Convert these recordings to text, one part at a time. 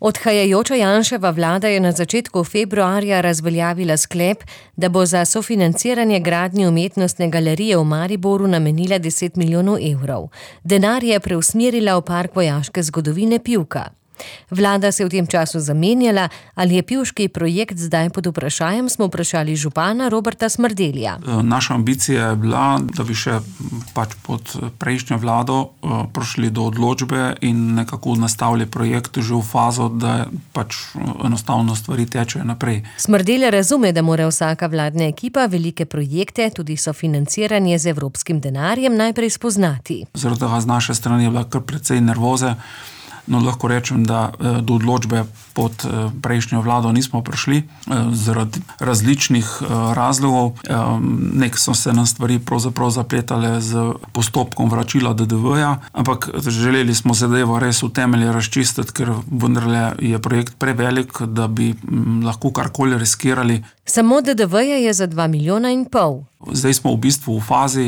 Odhajajoča Janševa vlada je na začetku februarja razveljavila sklep, da bo za sofinanciranje gradnje umetnostne galerije v Mariboru namenila 10 milijonov evrov. Denar je preusmerila v Park vojaške zgodovine Pivka. Vlada se je v tem času zamenjala, ali je pivški projekt zdaj pod vprašajem, smo vprašali župana Roberta Smrdelja. Naša ambicija je bila, da bi še pod prejšnjo vlado prišli do odločbe in nekako nastavili projekt že v fazo, da enostavno stvari tečejo naprej. Smrdelj razume, da mora vsaka vladna ekipa velike projekte, tudi sofinanciranje z evropskim denarjem, najprej spoznati. Zaradi tega z naše strani je bila kar precej nervoze. No, lahko rečem, da do odločbe pod prejšnjo vlado nismo prišli zaradi različnih razlogov. Nek so se nam stvari pravzaprav zapletale z postopkom vračila DDV-ja, ampak želeli smo zadevo res v temelje razčistiti, ker vendarle je projekt prevelik, da bi lahko karkoli riskirali. Samo DDV-ja je za 2,5 milijona. Zdaj smo v bistvu v fazi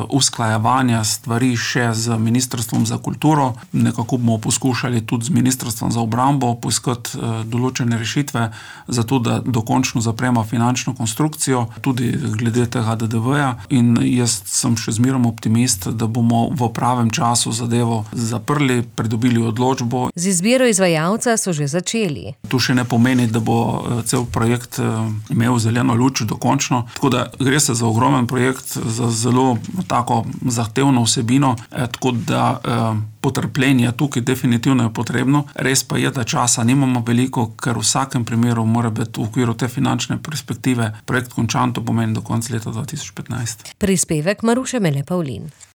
usklajevanja stvari še z Ministrstvom za kulturo. Nekako bomo poskušali tudi z Ministrstvom za obrambo poiskati določene rešitve, zato da dokončno zapremo finančno konstrukcijo, tudi glede tega DDV-ja. In jaz sem še zmeraj optimist, da bomo v pravem času zadevo zaprli, pridobili odločbo. Z izbiro izvajalca so že začeli. To še ne pomeni, da bo cel projekt imel zeleno luč dokončno. Tako da gre se za ogromen projekt, za zelo tako zahtevno vsebino, tako da potrpljenje tukaj definitivno je potrebno. Res pa je, da časa nimamo veliko, ker v vsakem primeru mora biti v okviru te finančne perspektive projekt končan, to pomeni do konca leta 2015. Prispevek Maruše Mele Pavlin.